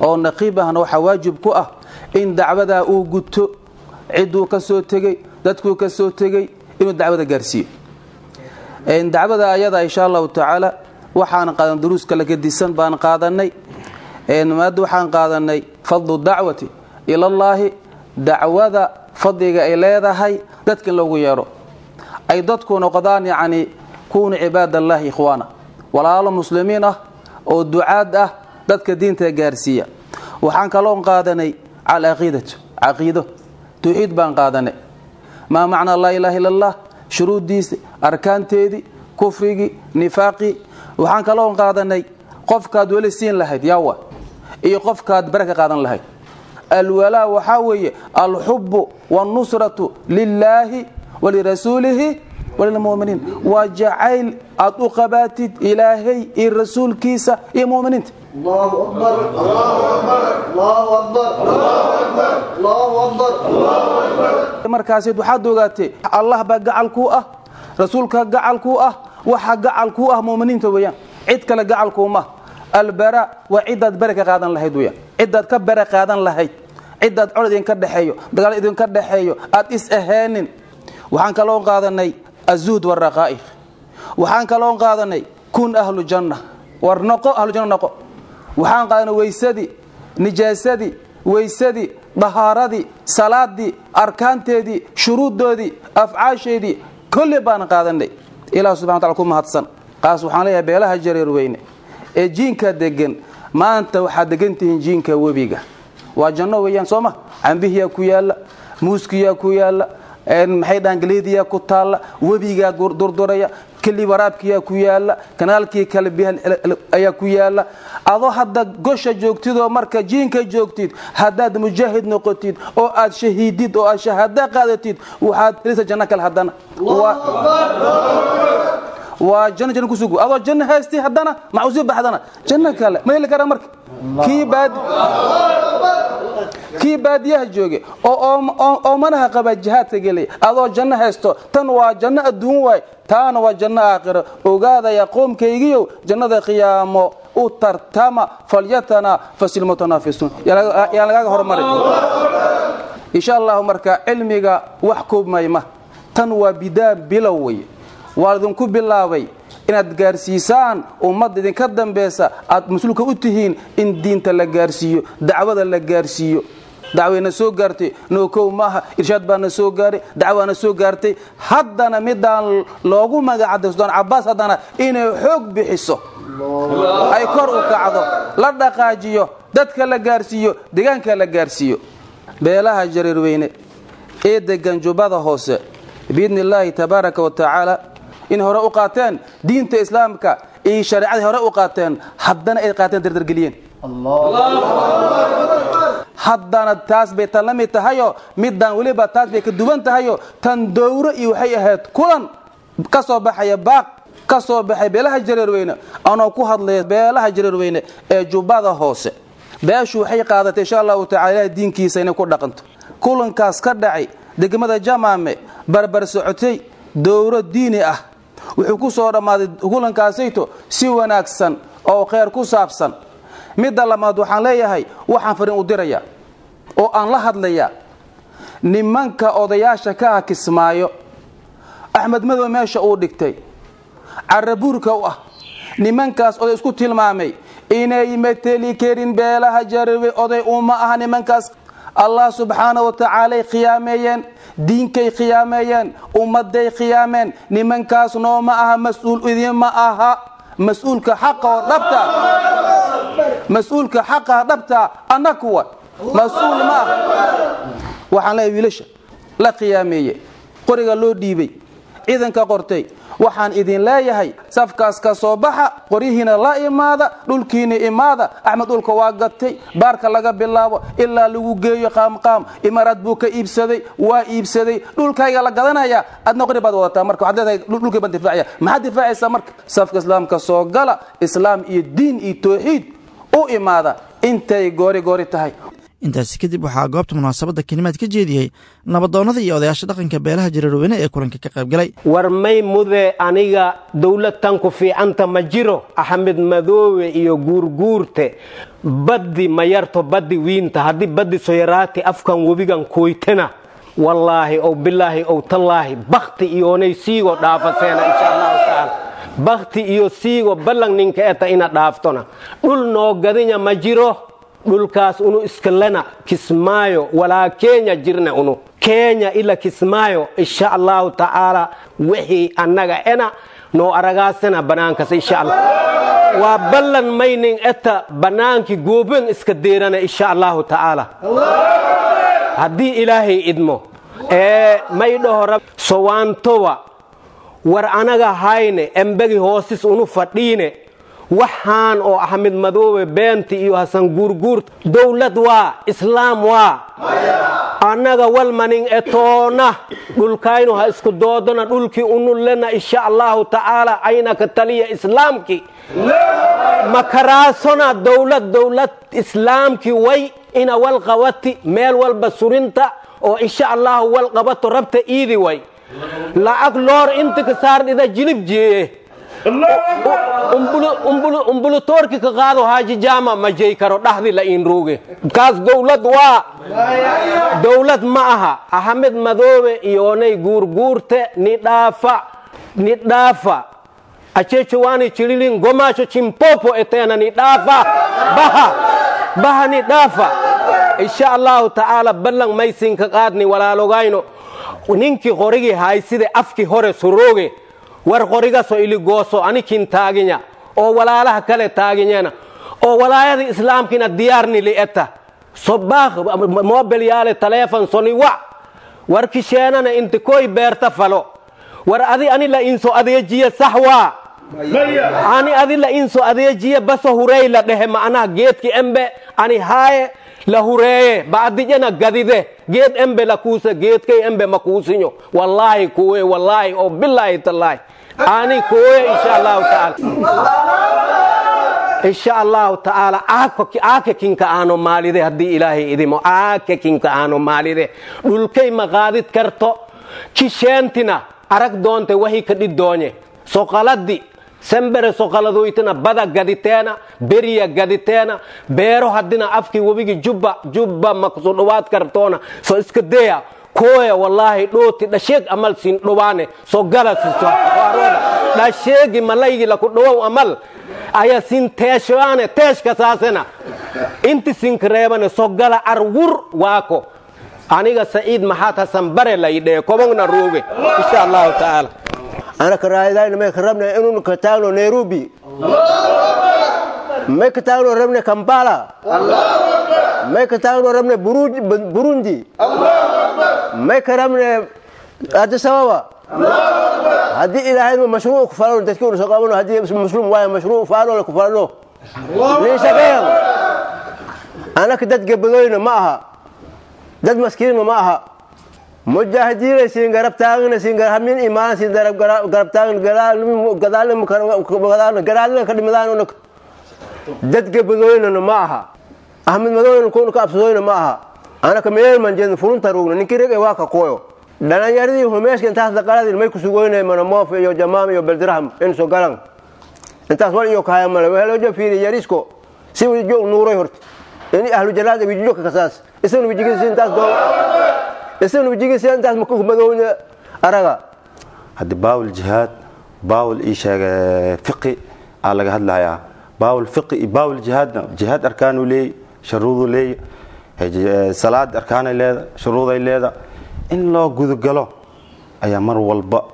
oo naqiib ahna waxaa waajib ku ah in dacwadaa uu guto, cidduu ka soo tegey, dadkuu ka soo tegey inuu dacwada gaarsiiyo. Dacwada ayada insha Allahu tacaala waxaan qaadan duruus kala gedisan baan qaadanay. Maada waxaan qaadanay fadlu dacwati ilallaahi, dacwada fadliga ay leedahay dadka in loogu yeedho, ay dadku noqdaan yacni kuunu cibaadallaahi ikhwaana, walaalo muslimiin ah oo ducaad ah, dadka diinta gaarsiiya. Waxaan kaloon qaadanay calcaqiidatu, caqiido tawxiid baan qaadanay, maa macnaa laa ilaaha illa Allah, shuruuddiisi, arkaanteedii, kufrigii, nifaaqii. Waxaan kaloon qaadanay qofkaad weli siin lahayd yaawa iyo qofkaad bare ka qaadan lahayd. Alwalaa waxaa weeye alxubbu waalnusratu lilaahi walirasuulihi walilmu'miniin, waa jacayl aad u qabaatid Ilaahay iyo rasuulkiisa iyo mu'miniinta. Markaasi waxaad ogaatay Allah baa gacal kuu ah, rasuulka gacal kuu ah, waxa gacal kuu ah mu'miniinta weeyaan, cid kale gacal kuuma. Albara waa cidaad bare ka qaadan lahayd weeyaan, cidaad ka bare qaadan lahayd, cidaad cod idinka dhexeeyo, dagaal idinka dhexeeyo, aad is ahaanin. Waxaan kaloo qaadanay azuhd waraqaa'iq. Waxaan kaloo qaadanay kun ahlu janna, war noqo ahlu janna noqo. Waxaan qaadanay weysadii, nijaasadii, weysadii, dahaaradii, salaadii, arkaanteedii, shuruuddoodii, afcaasheedii, kulli baan qaadanay. Ilaah subxana wa taala ku mahadsan. Qaas waxaan leeyahay beelaha Jareerweyne ee jiinka degan, maanta waxaad degan tihiin jiinka webiga, waa janno weeyaan soo ma? Cambihiyaa ku yaalla, muuskiyaa ku yaalla, maxay dhahan galeediyaa ku taalla, webigaa durduraya, keli waraabkiyaa ku yaalla, kanaalkii kale biyaha ayaa ku yaalla. Adoo hadda gosha joogtid oo marka jiinka joogtid, haddaad mujaahid noqotid oo aad shahiidid oo aad shahaado qaadatid, waxaad helisa janno kale haddana. Waa janno, janno kusugu adoo janno haystay haddana maxaa usii baxdana janno kale ma heli karaa. Marka kii baadiyaha jooge oo oomanaha qaba jihaadka gelay, adoo janno haysto, tan waa janno adduun waay, taana waa janno aakhiro. Ogaadaya qoomkaygiyow, jannada qiyaamo u tartama, falyatana fasilmutanaafisuun, yaan lagaaga hormarin insha Allahu. Marka cilmiga wax koobmayma, tan waa bidaa, bilow wey. Waa idinku bilaabay inaad gaarsiisaan ummadda idinka dambeysa aad mas-uulka u tihiin, in diinta la gaarsiiyo, dacwada la gaarsiiyo. Dacwayna soo gaartay nookow maaha, irshaad baana soo gaaray, dacwaana soo gaartay. Haddana midaan loogu magacday Suldaan Cabbaas haddana inay xoog bixiso, ay kor u kacdo, la dhaqaajiyo, dadka la gaarsiiyo, deegaanka la gaarsiiyo. Beelaha Jareerweyne ee degan Jubbada Hoose biidni illaahi tabaaraka wa tacaala in hore u qaateen diinta islaamka iyo shareecadii hore u qaateen, haddana ay qaateen dardargeliyeen. Haddana taas bay tan la mid tahayo, midaan weliba taas bay ka duwan tahayo. Tan dowro iyo waxay ahayd kulan ka soo baxaya, baaq ka soo baxay beelaha Jareerweyne. Anoo ku hadlaya beelaha Jareerweyne ee Jubbada Hoose, beeshu waxay qaadatay insha allahu tacala ilahay diinkiisa inay ku dhaqanto. Kulankaas ka dhacay degmada Jamaame barbar socotay dowro diini ah, wuxuu ku soo dhammaaday kulankaasayto si wanaagsan oo kheyr ku saabsan. Midda labaad, waxaan leeyahay, waxaan fariin u diraya oo aan la hadlayaa nimanka odayaasha ka ah Kismaayo, Axmed Madow meesha uu dhigtay carabuurka u ah. Nimankaas oday isku tilmaamay inay mateli karin beelaha Jareerwe. Oday uma aha nimankaas. Allah subxaana wa tacaalay khiyaameeyeen, diinkay khiyaameeyeen, ummadday khiyaameen. Nimankaas nooma aha mas-uul, idinma aha mas-uulka xaqa oo dhabta. Mas-uulka xaqa dhabta annakuwa mas-uul ma aha. Waxaan leeyahay wiilasha la khiyaameeye, qoriga loo dhiibay, ciidanka qortay, waxaan idin leeyahay safkaas ka soo baxa, qoryihiina la imaada, dhulkiina imaada. Axmed dhulka waa gatay, baarka laga bilaabo ilaa lagu geeyo Qaamqaam. Imaaraad buu ka iibsaday, waa iibsaday. Dhulkayga la gadanaya, adna qori baad wadataa. Marka waxaad leedahay dhulkay baan difaacaya. Maxaad difaacaysaa? Marka safka islaamka soo gala, islaam iyo diin iyo tawxiid u imaada intay goori goori tahay. Intaasi kadib waxaa goobta munaasabadda kelimaad ka jeediyey nabadoonnada iyo odayaasha dhaqanka beelaha Jareerweyne ee kulanka ka qaybgalay. War may mude, aniga dowladtan ku fiicanta ma jiro. Axmed Madoowe iyo Guurguurte, baddi ma yarto, baddi wiinta. Haddii baddi soyaraati afkan webigan koytana, wallaahi ow bilaahi ow tallaahi, bakti iyoonay siigo dhaafaseena insha allahu tacaala. Bakti iyo siigo ballan ninka eta ina dhaaftona. Dhul noo gadinya ma jiro, dhulkaas unu iskalena. Kismaayo walaa Kenya jirna, unu Kenya ila Kismaayo insha allahu tacaala. Wixii annaga ena noo aragaasana banaankas insha allah waa ballan maynin eta banaanki gooben iska deerana insha allahu tacaala haddii ilaahay idmo. Ee may dhaho sowaantowa, war anaga hayne embegi hoosis unu fadhiine. Waxaan oo Axmed Madoobe beenti iyo Hasan Guurguur, dowlad waa islaam waa annaga walmanin etoona. Dhulkaynu ha isku doodona, dhulkii unu lena insha allahu tacaala ayna ka taliya islaamkii makaraasona. Dowlad islaamkii way ina wal qabati, meel walba surinta oo insha allahu wal qabato rabta iidi way. Lacag loor inta ka saardhida jilib jeeye, umbulutoorki ka qaado Haaji Jaama ma jey karo dhaxdi la iin ruuge. Kaas dowlad waa dowlad ma aha. Axmed Madoobe iyoonay Guurguurte, ni dhaafa, ni dhaafa. Achecho wani chililin gomacho chimpopo etena, ni dhaafa, baha baha, ni dhaafa insha allahu tacaala. Ballan maysinka qaadni walaalogayno, ninkii qorigii hayside afkii hore surooge, war qorigaso iligooso anikin taaginya oo walaalaha kale taaginyana oo walaayada islaamkina diyaarni li'eta sobaakh mobel yaale taleefon soni wac. War kisheenana inta koy beerta falo. War adi ani la inso adeejiye, sax waa ani adi la inso adeejiye baso hurey la dhehe, macnaha geedki embe ani haaye la hureeye bacdijana gadide geed embe la kuusa. Geedkay embe ma kuusinyo, wallaahi kuwe, wallaahi oo bilaahi tallaahi ani kuwe insha allahu tacaala. Insha allahu tacaala aaka kinka aano maalide haddii ilaahay idimo, aaka kinka aano maalide dhulkay ma qaadid karto. Kisheentina arag doonte wahi ka dhiddoonye soqaladi sembere soqaladoytana bada gaditeena, beriya gaditeena, beero haddina afkii webigi Jubba Jubba ma kuso dhowaad kartoona. So iska deya kooya, wallaahi dhooti dhasheeg amal siin dhowaane. So gala siso dhasheegi malaygi laku dhowow amal aya siin teeshaane teeshka saasena. Inti sinkareebana sogala arwur waako aniga Saciid Maxaad Hasan Bare laydhee kobongna rooge insha Allahu tacaala. Anaka raayadayna may ka rabna inuu ka taagno Nairobi, may ka taagno rabna Kampala, may ka taagno rabna Burundi, may ka rabna Addis Ababa. Haddii Ilaahay mashruuc ku falano dadkii uu soo qabano, haddii muslim waayo mashruuc faalo la ku falano liishaqeyn. Anaka dad gabadoyna ma aha, dad maskiinna ma aha. Mujaahidiina siin garab taagna, siin garab imaan, siin garab garab taagna, gadaalna gadaalna gadaalna ka dhimadaan. Dad gabadoyna ma aha, Ahmed Madowna kuuna ka absadoyna ma aha. Anaka meel man jeedna furunta roogna ninkii reg waa ka qooyo dhalinyaradii humeeshka intaas daqaladii may ku sugoynay manamoof iyo jamaam iyo beldirham in soo galan intaas wal iyo kaaya male wehelo fiiri yarisko si wijo nuuray horta in ahlu jalaad wijo ka kasaas isna wijigiisa intaas doo isna wijigiisa intaas ma ku madowna araga. Haddi baawul jihaad baawul ii sheega fiqi aa laga hadlayaa, baawul fiqi iyo baawul jihaadna jihaad arkaanuu leey, shuruuduu leey, salaad arkaanay leeda, shuruuday leeda. In loo gudagalo ayaa mar walba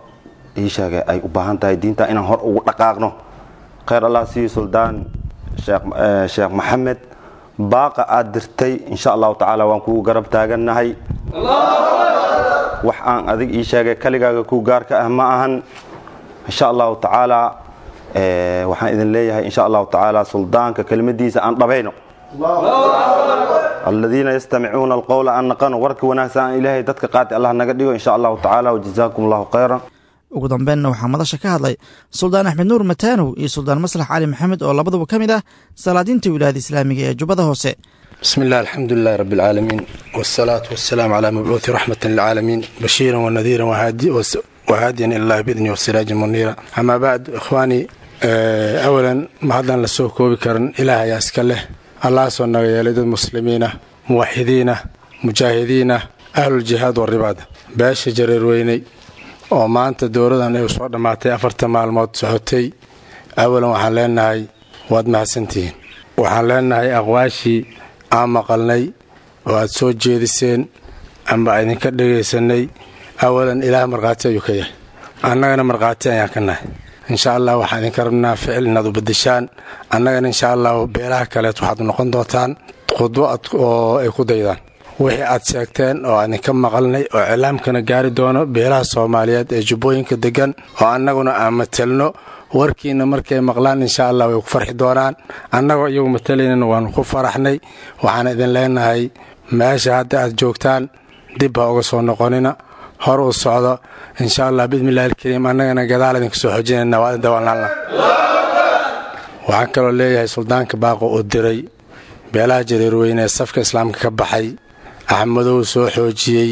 ii sheegay ay u baahan tahay diinta inaan hor ugu dhaqaaqno. Khayr Allah siiyo Suldaan Sheekh Maxamed, baaqa aad dirtay insha Allahu tacaala waan kugu garab taagannahay. Wax aan adig ii sheegay kaligaaga ku gaarka ah ma ahan. Insha Allahu tacaala waxaan idin leeyahay insha Allahu tacaala suldaanka kelimadiisa aan dhabayno, aladiina yastamicuuna alqowla aan naqano warka wanaagsan aan Ilaahay dadka qaatay Allah naga dhigo insha Allahu tacaala. Wajazaakum Allahu khayran. Ugu dambeynna waxaa madasha ka hadlay Suldaan Axmed Nuur Mataanow iyo Suldaan Maslax Cali Maxamed oo labaduba ka mid ah salaadiinta wilaayada islaamiga ee Jubbada Hoose. بسم الله، الحمد لله رب العالمين، والصلاة والسلام على مبعوث رحمة للعالمين، بشيرا ونذيرا وهاديا إلى الله بإذنه وسراجا منيرا. أما بعد، إخواني، أولا ما هذا لسoo koobi karin Ilaah ayaa iska leh. Allah soo naga yeelay dad muslimiina, muwaxidiina, mujaahidiina, ahluljihaad waribaad. Beesha Jareerweyney oo maanta dowladan ay soo dhammaatay 4 maalmood socotay, awalan waxaan leenahay waad mahadsantihiin. Waxaan leenahay aqwaashii aan maqalnay oo aad soo jeediseen amba idinka dhegaysanay, awalan Ilaah markhaati ayuu ka yahay, annagana markhaati ayaan ka nahay. Insha Allah waxaan idinka rabnaa ficil inaad u bedeshaan. Annagana insha Allah beelaha kaleet waxaad noqon doontaan khudbo oo ay ku daydaan wixii aad sheegteen oo aan idinka maqalnay oo cilaamkana gaari doono beelaha Soomaaliyeed ee Jubbooyinka degan oo annaguna aan matelno. Warkiina markay maqlaan insha Allah way ku farxi doonaan. Annagoo iyagu matalaynana waanu ku faraxnay. Waxaan idin leenahay meesha hadda aad joogtaan dib ha uga soo noqonina, hor u socdo insha Allah biidnillahi alkariim. Annagana gadaal idinka soo xoojinayna, waa idin dawalnaalna. Waxaan kaloo leeyahay suldaanka baaqo uu diray beelaha Jareerweyne ee safka islaamka ka baxay, Axmedow soo xoojiyey,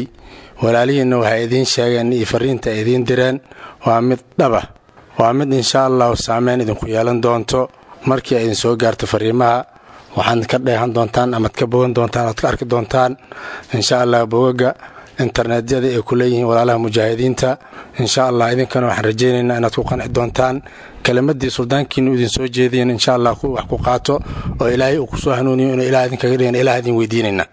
walaalihiinna waxay idiin sheegeen iyo fariinta ay idiin direen waa mid dhaba, waa mid insha Allahu saameyn idinku yeelan doonto. Markii ay idin soo gaarto fariimaha waxaad ka dheehan doontaan amaad ka bogan doontaan oad ka arki doontaan insha Allah bogaga internetyada ay ku leeyihiin walaalaha mujaahidiinta. Insha Allah idinkana waxaan rajaynaynaa inaad ku qanci doontaan kelimadii suldaankiinu idin soo jeediyen, insha Allah ku wax ku qaato oo Ilaahay uu ku soo hanuuniyo inuu Ilaah idinkaga dhigan Ilaah idin weydiinaynaa.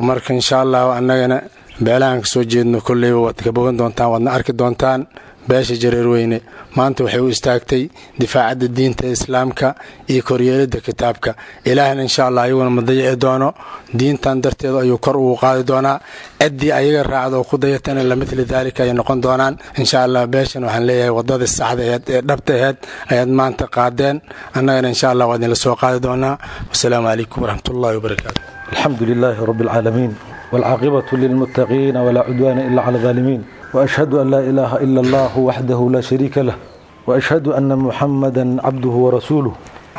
Marka insha Allah annagana beelahan ka soo jeedno kolleyba waad ka bogan doontaan, waadna arki doontaan. Beesha Jareerweyne maanta waxay u istaagtay difaacadda diinta islaamka iyo koryeelidda kitaabka Ilaahna. Insha Allah ayaguna ma dayici doono, diintan darteeda ayuu kor ugu qaadi doonaa. Ciddii ayaga raacda oo ku dayatana lamithli daalika ayay noqon doonaan insha Allah. Beeshan waxaan leeyahay waddadii saxda aheed ee dhabta aheed ayaad maanta qaadeen, annagana insha Allah waa idinla soo qaadi doonaa. Wasalaamu calaykum waraxmatullahi wabarakaatu. الحمد لله رب العالمين، والعاقبة للمتقين، ولا عدوان إلا على الظالمين، وأشهد أن لا إله إلا الله وحده لا شريك له، وأشهد أن محمدا عبده ورسوله.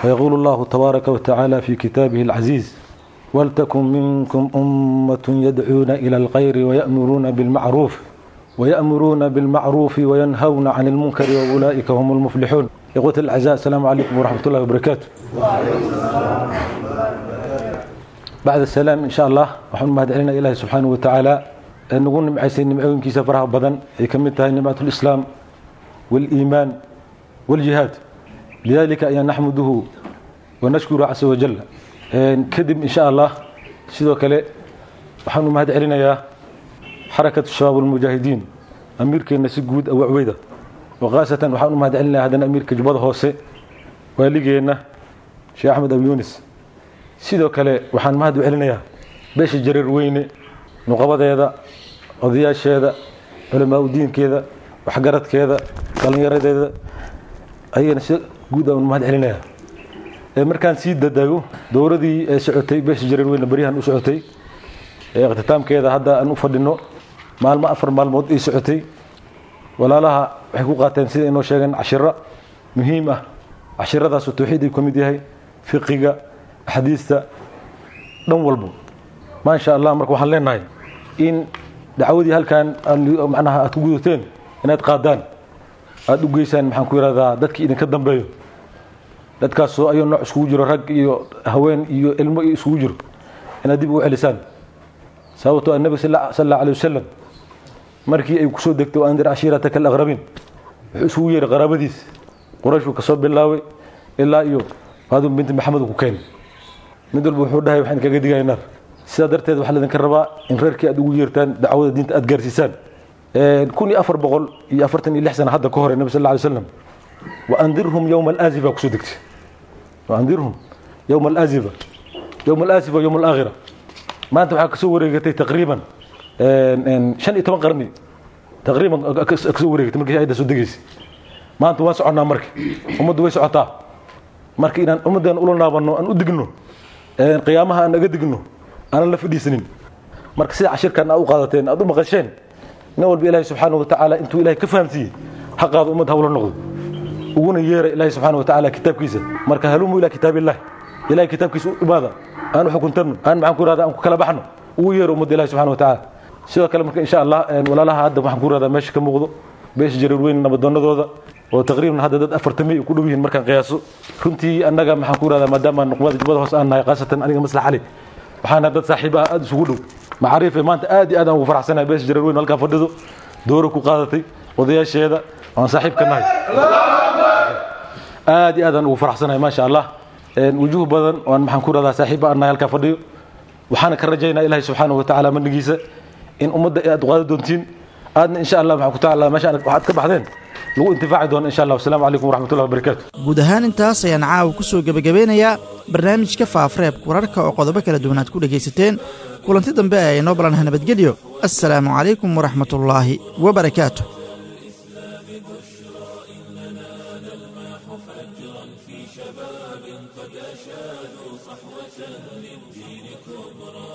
ويقول الله تبارك وتعالى في كتابه العزيز: ولتكن منكم أمة يدعون إلى الخير ويأمرون بالمعروف وينهون عن المنكر وأولئك هم المفلحون. إخوة الأعزاء، السلام عليكم ورحمة الله وبركاته. بعد السلام، إن شاء الله waxaan mahadcelinaa Ilaahay subxaanahu wa tacaala ee nagu nimcaysay nimcooyinkiisa faraha badan ay ka mid tahay nimcat lislaam wاliimaan wاljihaad. Lidalika ayaan naxmuduhu. Wanashkuru casa wajal. Kadib, insha Allah, sidoo kale waxaan u mahad celinayaa Xarakatu Shabaab Almujaahidiin, amiirkeenna si guud Abu Cubeyda, wakhaasatan waxaan u mahad celinayaa haddana amiirka Jubbada Hoose, waaligeenna Sheekh Axmed Abu Yunis. Sidoo kale waxaan mahad u celinayaa beesha Jareer Weyne, nuqabadeeda, odayaasheeda, culamaa udiinkeeda, waxgaradkeeda, dhallinyaradeeda, ayagana si guud aan mahad celinayaa. Markaan sii dadago dowradii ee socotay beesha Jareer Weyne baryahan u socotay, ee ikhtiitaamkeeda hadda aan u fadhino, maalmo 4 maalmood ii socotay, walaalaha waxay ku qaateen, sida inoo sheegeen, cashiro muhiim ah. Cashiradaasoo tawxiid ay ka mid yahay, fiqiga, axaadiista, dhan walbo, maasha Allah. Marka waxaan leenahay in dacwadii halkan macnaha aad ku gudateen inaad qaadaan, aada u geysaan, maxaan ku yidhahdaa, dadkii idinka dambeeyo, dadkaasoo ayuu nooc iskugu jiro, rag iyo haween iyo ilmo iyo iskugu jiro, inaad dib ugu celisaan. Sababtoo ah Nabi sal Allahu alayh wasalam markii ay kusoo degtay "وأنذر عشيرتك الأقربين", wuxuu isugu yeeray qaraabadiis. Qurayshuu kasoo bilaabay ilaa iyo Faaduma binti Maxamed ku keenay. Mid walba wuxuu dhahay: "Waxaan kaga digaya naar." Sidaa darteed waxaa laydinka rabaa in reerkii aad ugu yeertaan, dacwada diinta aad gaarsiisaan. 1446 sana hadda ka hore Nabi sal alla alay slam "وأنذرهم يوم الآزفة" kusoo degtay. وأنذرهم يوم الآزفة، يوم الآزفة، يوم الآخرة. Maanta waxaa kasoo wareegatay taqriiban 15 qarni taqriiban kasoo wareegatay markii ayadda soo degaysay. Maanta waan soconnaa, marka ummaddu way socotaa. Marka inaan ummaddan ula naabanno, aan u digno qiyaamaha, aan naga digno, aanan la fadhiisanin. Marka sida cashirkan aad u qaadateen, aad u maqasheen, nin walba Ilaahay subxaanahu watacaala intuu Ilahay ka fahamsiiyey ha qaado, ummad hawla noqdo, uguna yeera Ilaahay subxaanahu watacaala kitaabkiisa. Marka هلموا إلى كتاب الله, Ilahay kitaabkiisa u imaada, aan u xukuntanno, aan maxaan ku irahdaa, aan ku kala baxno, ugu yeero ummadda Ilahi subxana watacaala. Sidoo kale marka insha Allah walaalaha hadda waxaan ku irahdaa meesha ka muuqdo, beesha Jareer Weyn nabadoonadooda, oo taqriiban hadda dad 40 ku dhow yihiin markaan qiyaaso, runtii annaga maxaan ku irahdaa, maadaama nuqbada Jubbada Hoose aan nahay, khaasatan aniga Maslax Cali, waxaana dad saaxiib ah aad isugu dhow macaariife. Maanta aad iyo aad aan ugu faraxsanahay beesha Jareer Weyn halkaa fadhido, dooro ku qaadatay, odayaasheeda aan saaxiib ka nahay. Aad iyo aad aan ugu faraxsanahay, maasha Allah. Wujuh badan oo aan maxaan ku irahdaa saaxiib aan nahay halkaa fadhiyo. Waxaana ka rajaynaa Ilaahay subxaanahu watacaala manigiisa in ummadda aad qaadi doontiin, aadna insha Allah maxaan ku taala meesha waxaad ka baxdeen lagu intifaaci doono insha Allah. Wasalaamu calaykum waraxmatullahi wabarakaatu. Guud ahaan intaas ayaan caawa ku soo gebagabeynayaa barnaamijka Faafareebka Wararka oo qodobo kala duwan aad ku dhegaysateen. Kulanti dambe ayaa inoo balanaha. Nabadgelyo. Assalaamu calaykum waraxmatullaahi wabarakaatu. قد أشادوا صحوة للدين كبرى.